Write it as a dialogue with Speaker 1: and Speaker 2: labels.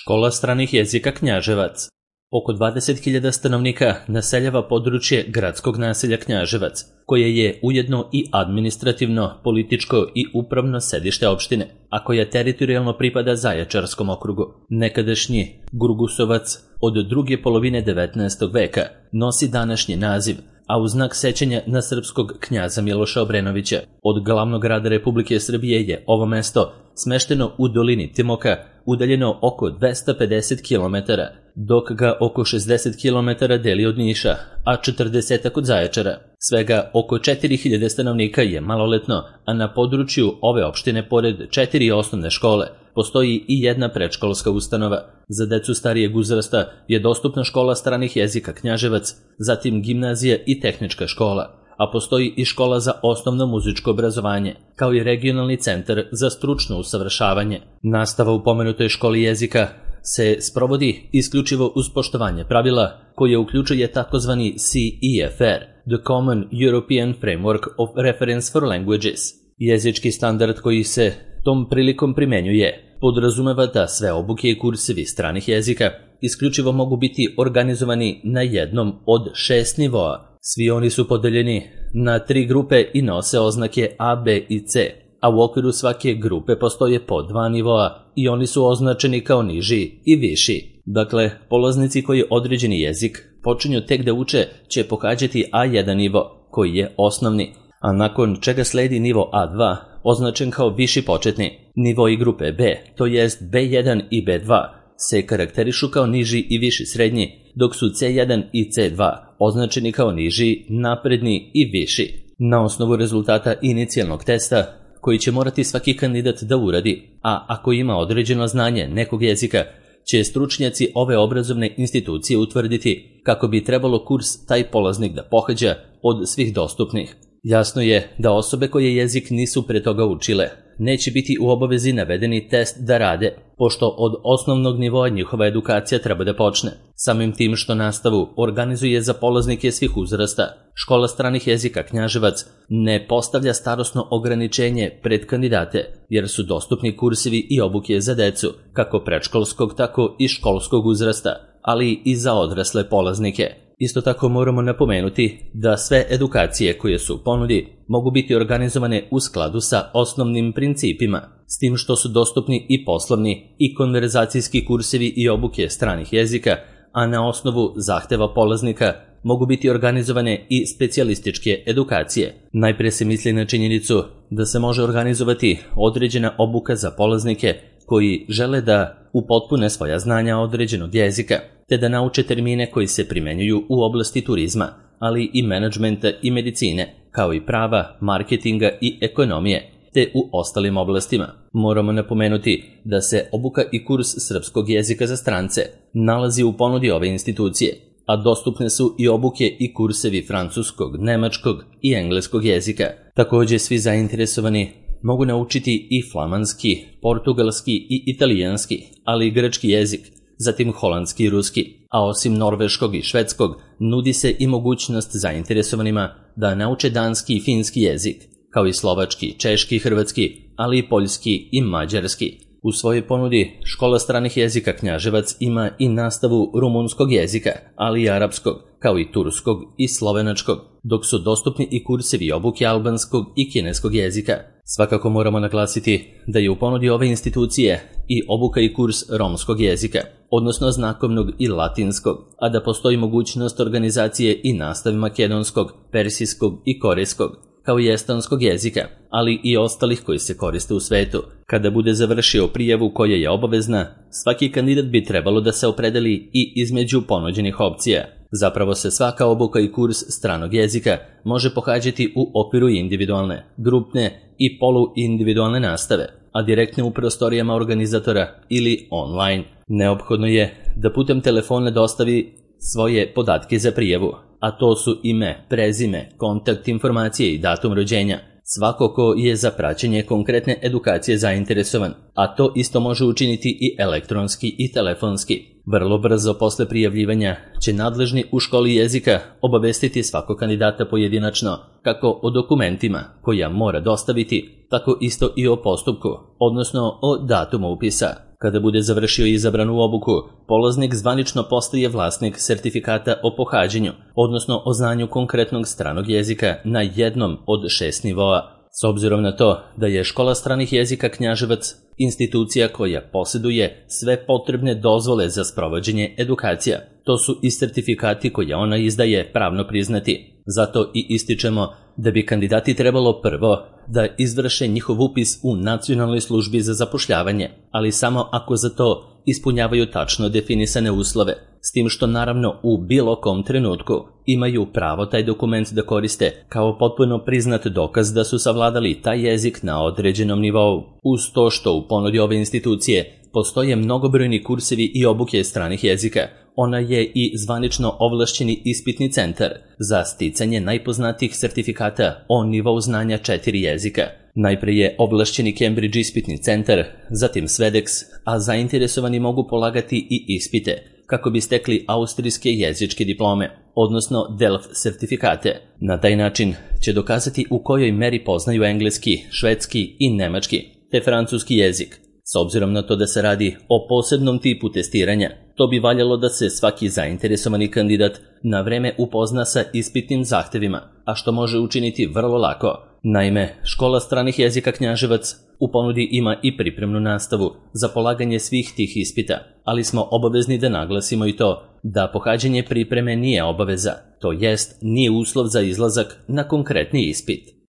Speaker 1: Škola stranih jezika Knjaževac. Oko 20.000 stanovnika naseljava područje gradskog naselja Knjaževac, koje je ujedno i administrativno, političko i upravno sedište opštine, a koja teritorijalno pripada Zaječarskom okrugu. Nekadašnji Gurgusovac od druge polovine 19. veka nosi današnji naziv, a u znak sećanja na srpskog knjaza Miloša Obrenovića. Od glavnog grada Republike Srbije je ovo mesto smešteno u dolini Timoka, udaljeno oko 250 km, dok ga oko 60 km deli od Niša, a 40 od Zaječara. Svega oko 4.000 stanovnika je maloletno, a na području ove opštine, pored 4 osnovne škole, postoji i jedna predškolska ustanova. Za decu starijeg uzrasta je dostupna škola stranih jezika Knjaževac, zatim gimnazija i tehnička škola, a postoji i škola za osnovno muzičko obrazovanje, kao i regionalni centar za stručno usavršavanje. Nastava u pomenutoj školi jezika se sprovodi isključivo uz poštovanje pravila koje uključuje takozvani CEFR, The Common European Framework of Reference for Languages. Jezički standard koji se tom prilikom primenjuje podrazumeva da sve obuke i kursevi stranih jezika isključivo mogu biti organizovani na jednom od 6 nivoa. Svi oni su podeljeni na 3 grupe i nose oznake A, B i C, a u okviru svake grupe postoje po 2 nivoa i oni su označeni kao niži i viši. Dakle, polaznici koji određeni jezik počinju tek da uče će pohađati A1 nivo, koji je osnovni, a nakon čega sledi nivo A2, označen kao viši početni. Nivo i grupe B, to jest B1 i B2, se karakterišu kao niži i viši srednji, dok su C1 i C2 označeni kao niži, napredni i viši. Na osnovu rezultata inicijalnog testa, koji će morati svaki kandidat da uradi, a ako ima određeno znanje nekog jezika, će stručnjaci ove obrazovne institucije utvrditi kako bi trebalo kurs taj polaznik da pohađa od svih dostupnih. Jasno je da osobe koje jezik nisu pre toga učile neće biti u obavezi navedeni test da rade, pošto od osnovnog nivoa njihova edukacija treba da počne. Samim tim što nastavu organizuje za polaznike svih uzrasta, škola stranih jezika Knjaževac ne postavlja starosno ograničenje pred kandidate, jer su dostupni kursevi i obuke za decu, kako predškolskog tako i školskog uzrasta, ali i za odrasle polaznike. Isto tako moramo napomenuti da sve edukacije koje su u ponudi mogu biti organizovane u skladu sa osnovnim principima, s tim što su dostupni i poslovni i konverzacijski kursevi i obuke stranih jezika, a na osnovu zahteva polaznika mogu biti organizovane i specijalističke edukacije. Najpre se misli na činjenicu da se može organizovati određena obuka za polaznike koji žele da upotpune svoja znanja određenog jezika, te da nauče termine koji se primenjuju u oblasti turizma, ali i menadžmenta i medicine, kao i prava, marketinga i ekonomije, te u ostalim oblastima. Moramo napomenuti da se obuka i kurs srpskog jezika za strance nalazi u ponudi ove institucije, a dostupne su i obuke i kursevi francuskog, nemačkog i engleskog jezika. Također svi zainteresovani mogu naučiti i flamanski, portugalski i italijanski, ali i grčki jezik, zatim holandski i ruski, a osim norveškog i švedskog nudi se i mogućnost zainteresovanima da nauče danski i finski jezik, kao i slovački, češki i hrvatski, ali i poljski i mađarski. U svojoj ponudi škola stranih jezika Knjaževac ima i nastavu rumunskog jezika, ali i arapskog, kao i turskog i slovenačkog, dok su dostupni i kursevi obuke albanskog i kineskog jezika. Svakako moramo naglasiti da je u ponudi ove institucije i obuka i kurs romskog jezika, odnosno znakovnog i latinskog, a da postoji mogućnost organizacije i nastave makedonskog, persijskog i korejskog, kao i estonskog jezika, ali i ostalih koji se koriste u svetu. Kada bude završio prijavu koja je obavezna, svaki kandidat bi trebalo da se opredeli i između ponuđenih opcija. Zapravo se svaka obuka i kurs stranog jezika može pohađati u okviru individualne, grupne i poluindividualne nastave, a direktne u prostorijama organizatora ili online. Neophodno je da putem telefona dostavi svoje podatke za prijavu, a to su ime, prezime, kontakt informacije i datum rođenja. Svako ko je za praćenje konkretne edukacije zainteresovan, a to isto može učiniti i elektronski i telefonski. Vrlo brzo posle prijavljivanja će nadležni u školi jezika obavestiti svakog kandidata pojedinačno, kako o dokumentima koja mora dostaviti, tako isto i o postupku, odnosno o datumu upisa. Kada bude završio izabranu obuku, polaznik zvanično postaje vlasnik sertifikata o pohađanju, odnosno o znanju konkretnog stranog jezika na jednom od 6 nivoa. S obzirom na to da je Škola stranih jezika Knjaževac institucija koja posjeduje sve potrebne dozvole za sprovođenje edukacija, to su i sertifikati koje ona izdaje pravno priznati. Zato i ističemo da bi kandidati trebalo prvo da izvrše njihov upis u Nacionalnoj službi za zapošljavanje, ali samo ako za to ispunjavaju tačno definisane uslove, s tim što naravno u bilo kom trenutku imaju pravo taj dokument da koriste kao potpuno priznat dokaz da su savladali taj jezik na određenom nivou. Uz to što u ponudi ove institucije postoje mnogobrojni kursevi i obuke stranih jezika, ona je i zvanično ovlašćeni ispitni centar za sticanje najpoznatijih sertifikata o nivou znanja 4 jezika. Najpre je ovlašćeni Cambridge ispitni centar, zatim Svedex, a zainteresovani mogu polagati i ispite kako bi stekli austrijske jezičke diplome, odnosno DELF sertifikate. Na taj način će dokazati u kojoj meri poznaju engleski, švedski i nemački, te francuski jezik. S obzirom na to da se radi o posebnom tipu testiranja, to bi valjalo da se svaki zainteresovani kandidat na vreme upozna sa ispitnim zahtevima, a što može učiniti vrlo lako. Naime, Škola stranih jezika Knjaževac u ponudi ima i pripremnu nastavu za polaganje svih tih ispita, ali smo obavezni da naglasimo i to da pohađanje pripreme nije obaveza, to jest nije uslov za izlazak na konkretni ispit.